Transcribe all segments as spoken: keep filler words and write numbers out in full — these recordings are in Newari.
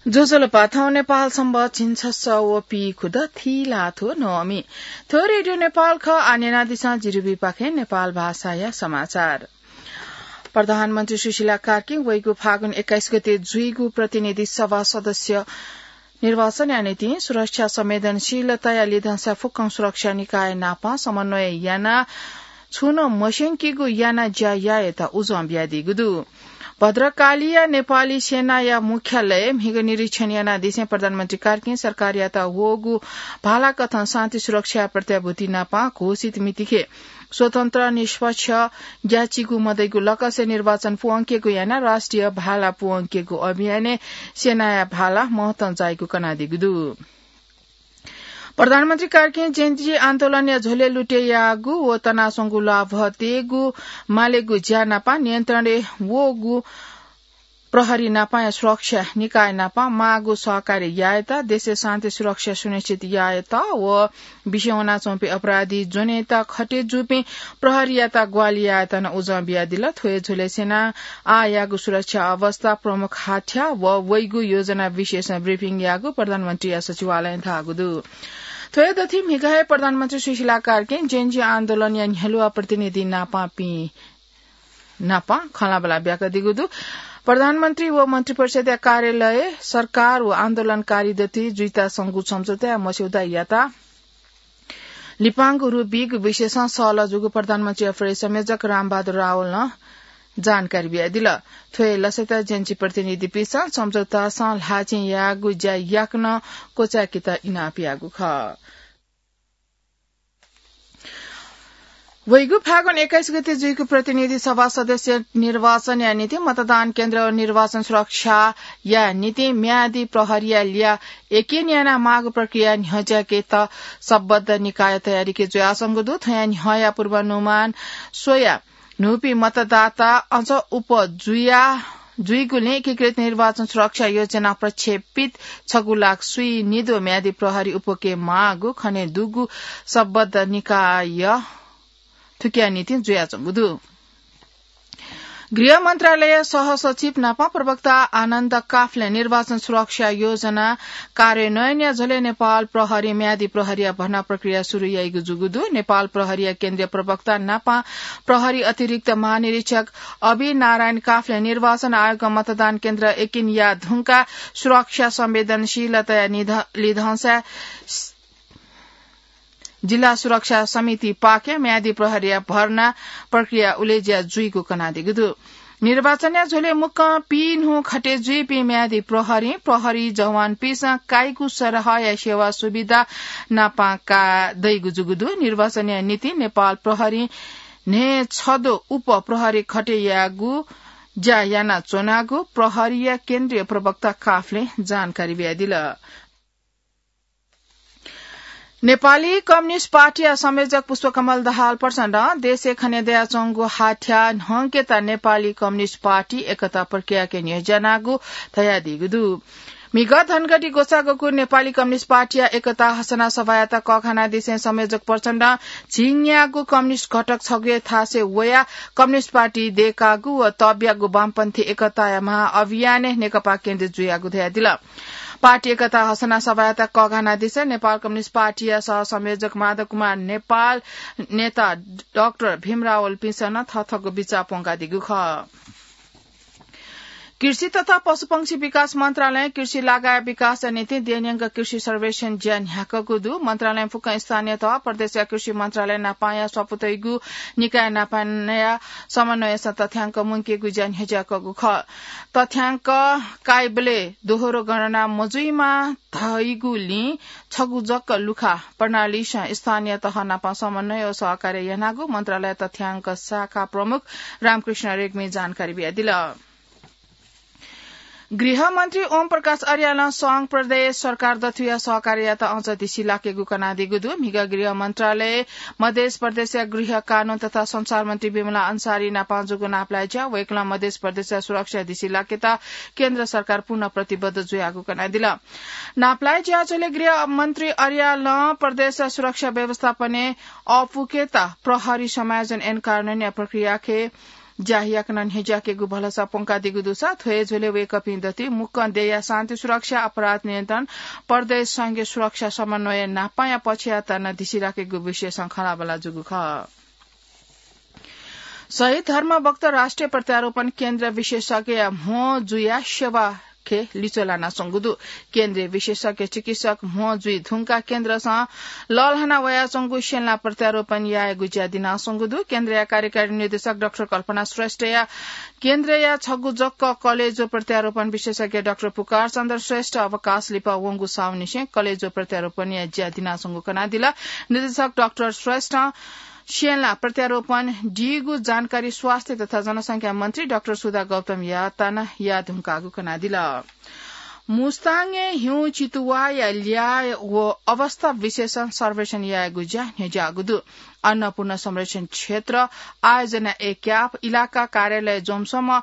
ज्वजलपा, थौं नेपाल संवत् झिंछसः व पीखुद थीलाथ्व नवमी। थ्व रेडियो नेपाल खः। आः न्यनादिसँ जिरिबीपाखें नेपाल भाषाया समाचार। प्रधानमन्त्री सुशीला कार्कीं वइगु फागुन एक्काइस गते जुइगु प्रतिनिधि सभा सदस्य निर्वाचनया निंतिं सुरक्षा संवेदनशीलताया लिधंसा फुक्कं सुरक्षा निकाय नाप समन्वय यानाः छुं नं मस्यंकीगु याना ज्या यायेत उजं बियादीगु दु। भद्रकालीया नेपाली सेनाया मुख्यालय म्हिगः निरीक्षण यानादिसें प्रधानमन्त्री कार्कीं सरकारयात वःगु भालाकथं शान्ति सुरक्षा प्रत्याभूति नाप घोषित मितिखे स्वतन्त्र, निष्पक्ष, ग्याःचिकु मदइगु लकसे निर्वाचन पूवंकेगु यानाः राष्ट्रिय भाला पूवंकेगु अभियानय् सेनाया भाला महत्वं जाइगु कनादीगु दु। प्रधानमन्त्री कार्कीं जेन जी आन्दोलनया झ्वलय् लुटे याःगु व तनाच्वंगु ल्वाभः तयेगु मालेगु ज्या नाप नियन्त्रणय् वःगु प्रहरी नापया सुरक्षा निकाय नाप माःगु सहकार्य यायेत, देशय् शान्ति सुरक्षा सुनिश्चित यायेत व बिस्युं वनाच्वंपिं अपराधी ज्वनेत खटे जूपिं प्रहरीयात ग्वाहालि यायेत नं उजं बियादिल। थ्व हे झ्वलय् सेनां आःयाःगु सुरक्षा अवस्था, प्रमुख हाथ्याः व वइगु योजना विषयसं ब्रिफिङ याःगु प्रधानमन्त्रीया सचिवालयं धाःगु दु। थ्व हे दथुइ म्हिगः हे प्रधानमन्त्री सुशीला कार्कीं जेन जी आन्दोलनया न्ह्यलुवा प्रतिनिधि नापपिं नाप खँल्हाबल्हा ब्याकादीगु दु। प्रधानमन्त्री व मन्त्रिपरिषदया कार्यालय, सरकार व आन्दोलनकारी दथुइ जुइताच्वंगु सम्झौताया मस्यौदा यात लिपांगु रूप बीगु विषयसं सहलह जूगु प्रधानमन्त्रीया प्रेस संयोजक रामबहादुर रावलं जानकारी बियादिल। थ्व हे लसय्त जेन जी प्रतिनिधिपिन्सं सम्झौतासं ल्हाःचिं याःगु ज्या याकनं क्वचाय्केत इनाप याःगु खः। वइगु फागुन एक्काइस गते जुइगु प्रतिनिधि सभा सदस्य निर्वाचनया निंतिं मतदान केन्द्र व निर्वाचन सुरक्षाया निंतिं म्यादी प्रहरीया ल्याः यक्व याना माःगु प्रक्रिया न्ह्यज्याकेत सम्बद्ध निकाय तयारीके जुयाच्वंगु दु। थ्वया न्ह्यःया पूर्वानुमान स्वयाः न्हूपिं मतदाता अझ उप जुया, जुइगुलिं एकीकृत निर्वाचन सुरक्षा योजना प्रक्षेपित छगू लाख स्वीनिद्वः म्यादी प्रहरी उपके माःगु खनेदुगु सम्बद्ध निकाय थुकिया निंतिं जुयाच्वंगु दु। गृह मन्त्रालय सहसचिव नाप प्रवक्ता आनन्द काफलें निर्वाचन सुरक्षा योजना कार्यान्वयनया झ्वलय् नेपाल प्रहरी म्यादी प्रहरीया भर्ना प्रक्रिया सुरु याइगु जूगु दु। नेपाल प्रहरीया केन्द्रीय प्रवक्ता नाप प्रहरी अतिरिक्त महानिरीक्षक अभि नारायण काफलें निर्वाचन आयोगं मतदान केन्द्र यक्व याये धुंकाः सुरक्षा संवेदनशीलताया निध-, लिधंसा जिल्ला सुरक्षा समितिपाखें म्यादी प्रहरीया भर्ना प्रक्रिया उलेज्या जुइगु कनादीगु दु। निर्वाचनया झ्वलय् मुक्कं पीन्हु खटे जुइपिं म्यादी प्रहरीं, प्रहरी जवानपिन्सं काइगु सरहया सेवा सुविधा नापं का दइगु जूगु दु। निर्वाचनया निंतिं नेपाल प्रहरीं न्हय्छद्वः उप प्रहरी खटे यायेगु ज्या यानाच्वनागु प्रहरीया केन्द्रीय प्रवक्ता काफलें जानकारी बियादिल। नेपाली कम्युनिस्ट पार्टीया संयोजक पुष्पकमल दाहाल प्रचण्डं देशय् खने दयाच्वंगु हाथ्याः न्हंकेत नेपाली कम्युनिस्ट पार्टी एकता प्रक्रियाके न्ह्यज्यानागु धयादीगु दु। म्हिगः धनगढी ग्वसाः ग्वःगु नेपाली कम्युनिस्ट पार्टीया एकता हसना सभायात कःघानादिसें संयोजक प्रचण्डं झिंन्यागू कम्युनिस्ट घटक छगूया थासय् वयाः कम्युनिस्ट पार्टी दय्कागु व तःब्यागु वामपन्थी एकताया महाअभियानय् नेकपा केन्द्रित जुयागु धयादिल। पार्टी एकता हसना सभायात कःघानादिसें नेपाल कम्युनिस्ट पार्टीया सहसंयोजक माधव कुमार नेपाल, नेता डाक्टर भीम रावलपिन्सं नं थःथःगु बिचाः प्वंकादीगु खः। कृषि तथा पशुपंक्षी विकास मन्त्रालयं कृषि लगायत विकासया निंतिं देय्‌न्यंक कृषि सर्वेक्षण ज्या न्ह्याकागु दु। मन्त्रालयं फुक्कं स्थानीय तह, प्रदेशया कृषि मन्त्रालय नापंया स्वापू तइगु निकाय नापंया समन्वयसं तथ्याङ्क मुंकेगु ज्या न्ह्यज्याकागु खः। तथ्याङ्क काइबलय् दोहोरो गणना मजुइमा धइगुलिं छगू जक लुखा प्रणालीसं स्थानीय तह नाप समन्वय व सहकार्य यानागु मन्त्रालय तथ्याङ्क शाखा प्रमुख रामकृष्ण रेग्मीं जानकारी बियादिल। गृहमन्त्री ओम प्रकाश अर्यालं संघ प्रदेश सरकार दथुया सहकार्ययात अझ धिसिलाकेगु कनादीगु दु। म्हिगः गृह मन्त्रालयय् मधेस प्रदेशया गृह कानून तथा संचार मन्त्री विमला अन्सारी नाप जूगु नापलाये ज्याः वय्कलं मधेस प्रदेशया सुरक्षा धिसिलाकेत केन्द्र सरकार पूर्ण प्रतिबद्ध जुयागु कनादिल। नापलाये ज्याझ्वलय् गृह मन्त्री अर्यालं प्रदेशया सुरक्षा व्यवस्थापनय् अःपुकेत प्रहरी समायोजन ऐन कार्यान्वयनया प्रक्रियाखे ज्या याकनं न्ह्यज्याकेगु भलसा प्वंकादीगु दुसा थ्व हे झ्वलय् वय्कःपिं दथुइ मुक्कं देय्या शान्ति सुरक्षा, अपराध नियन्त्रण, प्रदेश संघीय सुरक्षा समन्वय नापांया पक्षयात नं धिसिराकेगु विषयसं खँल्हाबल्हा जूगु खः। शहीद धर्मभक्त राष्ट्रिय प्रत्यारोपण केन्द्र विशेषज्ञया म्हो जुया सेवा खे लिच्वः लानाच्वंगु दु। केन्द्रीय विशेषज्ञ चिकित्सक म्हो जुइ धुंकाः केन्द्रसं लःल्हाना वयाच्वंगु स्यंला प्रत्यारोपण यायेगु ज्या दिनाच्वंगु दु। केन्द्रया कार्यकारी निर्देशक डाक्टर कल्पना श्रेष्ठया केन्द्रया छगू जक कलेजो प्रत्यारोपण विशेषज्ञ डाक्टर पुकार चन्द्र श्रेष्ठ अवकाश लिपा वंगु साउनिसें कलेजो प्रत्यारोपणया ज्या दिनाच्वंगु कनादिल। निर्देशक डाक्टर श्रेष्ठं स्यंला प्रत्यारोपण दीगु जानकारी स्वास्थ्य तथा जनसंख्या मन्त्री डाक्टर सुधा गौतमयात नं याये धुंकाःगु कनादिल। मुस्ताङय् हिउँ चितुवाःया ल्याः व अवस्था विशेषं सर्वेक्षण यायेगु ज्या न्ह्यज्याःगु दु। अन्नपूर्ण संरक्षण क्षेत्र आयोजना एक्याप इलाका कार्यालय ज्वंसम्म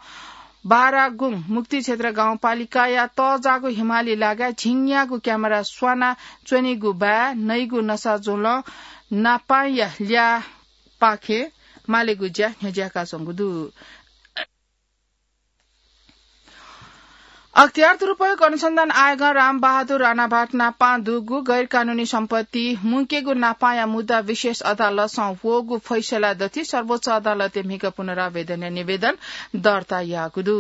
बारागुङ मुक्ति क्षेत्र गाउँपालिकाया तःजाःगु हिमाली लागाय् झिंन्यागू क्यामेरा स्वाना च्वनीगु बाय् नइगु नसाज्वलं नापांया ल्याःपाखे मालेगु ज्या न्ह्यज्याकाच्वंगु दु। अख्तियार दुरुपयोग अनुसन्धान आयोगं रामबहादुर राणाभाट नापां दुगु गैरकानूनी सम्पत्ति मुंकेगु नापांया मुद्दा विशेष अदालतसं वःगु फैसला दथुइ सर्वोच्च अदालतय् म्हिगः पुनरावेदनया निवेदन दर्ता याःगु दु।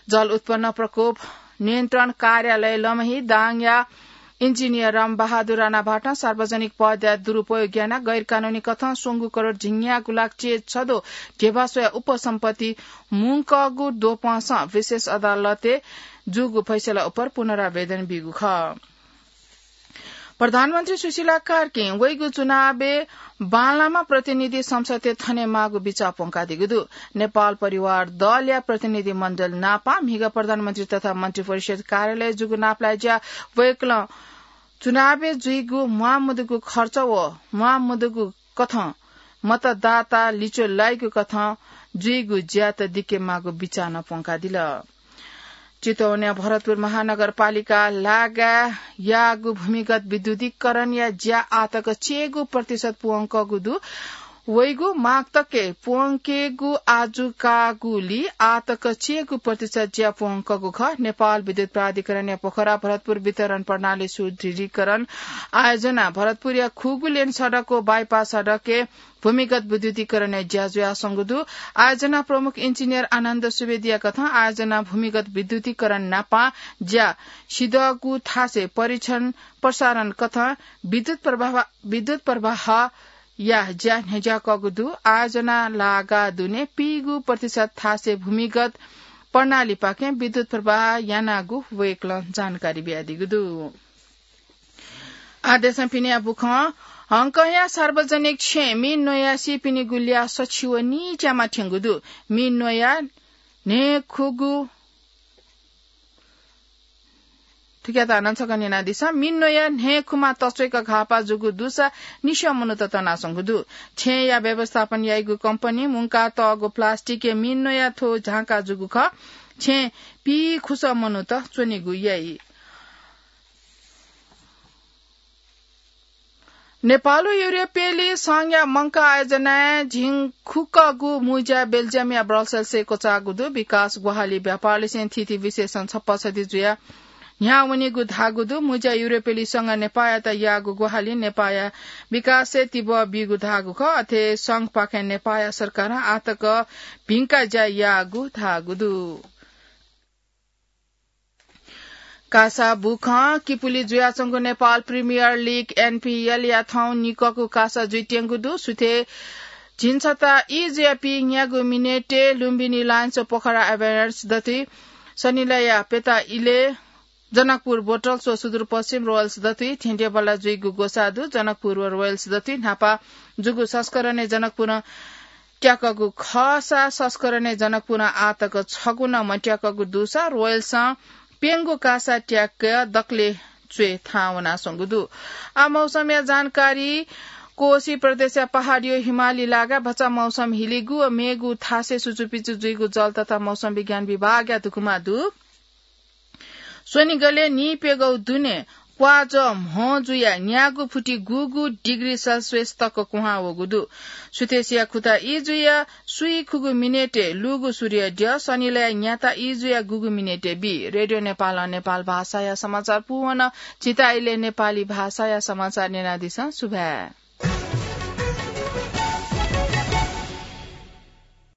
जल उत्पन्न प्रकोप नियन्त्रण कार्यालय लमही दाङया इन्जिनियर रामबहादुर राणाभाटं सार्वजनिक पदया दुरुपयोग यानाः गैरकानूनी कथं स्वंगू करोड झिंन्यागू लाख चे छद्वः ध्यबा स्वया उपसम्पत्ति मुंकःगु द्वपंसं विशेष अदालतय् जूगु फैसला उपर पुनरावेदन बीगु खः। प्रधानमन्त्री सुशीला कार्कीं वइगु चुनावय् बांलाःम्ह प्रतिनिधि संसदय् थनेमाःगु बिचाः प्वंकादीगु दु। नेपाल परिवार दलया प्रतिनिधि मण्डल नापां म्हिगः प्रधानमन्त्री तथा मन्त्रिपरिषद कार्यालय जूगु नापलाये ज्या वय्कलं चुनावय् जुइगु म्वाःमदुगु खर्च व म्वाःमदुगु कथं मतदाता लिच्वः लाइगु कथं जुइगु ज्यात दिकेमाःगु बिचाः नं प्वंकादिल। चितवनया भरतपुर महानगरपालिका लागाय् याःगु भूमिगत विद्युतीकरणया ज्या आःतक चय्गू प्रतिशत प्वंकःगु दु। वइगु माघ तकय् प्वंकेगु आजु काःगुली आःतक चय्गू प्रतिशत ज्या प्वंकःगु खः। नेपाल विद्युत प्राधिकरणया पोखरा भरतपुर वितरण प्रणाली सुदृढीकरण आयोजना भरतपुरया खुगू लेन सडक व बाइपास सडकय् भूमिगत विद्युतीकरणया ज्या जुयाच्वंगु दु। आयोजना प्रमुख इन्जिनियर आनन्द सुवेदीया कथं आयोजना भूमिगत विद्युतीकरण नापं ज्या सिधःगु थासय् परीक्षण प्रसारण कथं विद्युत प्रवाह, विद्युत प्रवाहया ज्या न्ह्यज्याकःगु दु। आयोजना लागा दुने पीगू प्रतिशत थासय् भूमिगत प्रणालीपाखें विद्युत प्रवाह यानागु वय्कलं जानकारी बियादीगु दु। आः देशं पिनेया बुखँ। हङकंया सार्वजनिक छेँय् मि न्वयाः सीपिनिगु ल्याः सछि व नीच्यामा थ्यंगु दु। मि न्वयाः न्हय्खुगु, थुकियात हानं छकः न्यनादिसँ। मि न्वयाः न्हय्खुमा तच्वय्क घाःपाः जूगु दुसा निस्यं मनूत तनाच्वंगु दु। छेँया व्यवस्थापन याइगु कम्पनीं मुंकातःगु प्लास्टिकय् मि न्वयाः थ्व झांका जूगु खः। छेँय् पीखुसः मनूत च्वनेगु याइ। नेपाल व युरोपेली संघया मंकाः आयोजनाय् झिंखुकःगु मुँज्या बेल्जियमया ब्रसेल्सय् क्वचाःगु दु। विकास ग्वाहालि व्यापारलिसें थीथी विषयसं छप्पा छधी जुयाः न्ह्याः वनीगु धाःगु दु। मुँज्या युरोपेली संघं नेपाःयात याःगु ग्वाहालिं नेपाःया विकासय् तिबः बीगु धाःगु खः। अथे संघपाखें नेपाःया सरकारं आःतक भिंका ज्या याःगु धाःगु दु। कासा बुखँ। किपुली जुयाच्वंगु नेपाल प्रिमियर लिग, एनपिएलया थौं निकःगु कासा जुइत्यंगु दु। सुथय् झिंछता ई जुयाः पीन्यागू मिनेटय् लुम्बिनी लायन्स व पोखरा एभेन्जर्स दथुइ सनिलया प्यता इलय् जनकपुर बोटल्स व सुदूरपश्चिम रोयल्स दथुइ थेंथेंबल्ला जुइगु ग्वसाः दु। जनकपुर व रोयल्स दथुइ न्हापा जूगु संस्करणय् जनकपुरं त्याकःगु खःसा संस्करणय् जनकपुरं आःतक छगू नं मत्याकःगु दुसा रोयल्सं प्यंगू कासा त्याक दकलय् च्वय् थाहां वनाच्वंगु दु। आः मौसमया जानकारी। कोशी प्रदेशया पहाडय् हिमाली लागाय् भचा मौसम हिलिगु व मेगु थासय् सुचुपिचु जुइगु जल तथा मौसम विज्ञान विभागया धुकुमा दु। स्वनिगलय् नीप्यघौ दुने प्वाःजः म्ह जुयाः न्यागू फुति गुगू डिग्री सेल्सियस तक कुहां वःगु दु। सुथसिया खुता ई जुयाः सुइखुगू मिनेटय् लूगु सूर्यद्यः सनिलय् न्याता ई जुयाः गुगू मिनेटय् बी। रेडियो नेपालं नेपाल भाषाया समाचार पूवन। झीत इलय् नेपाली भाषाया समाचार न्यनादिसँ। सुभाय्।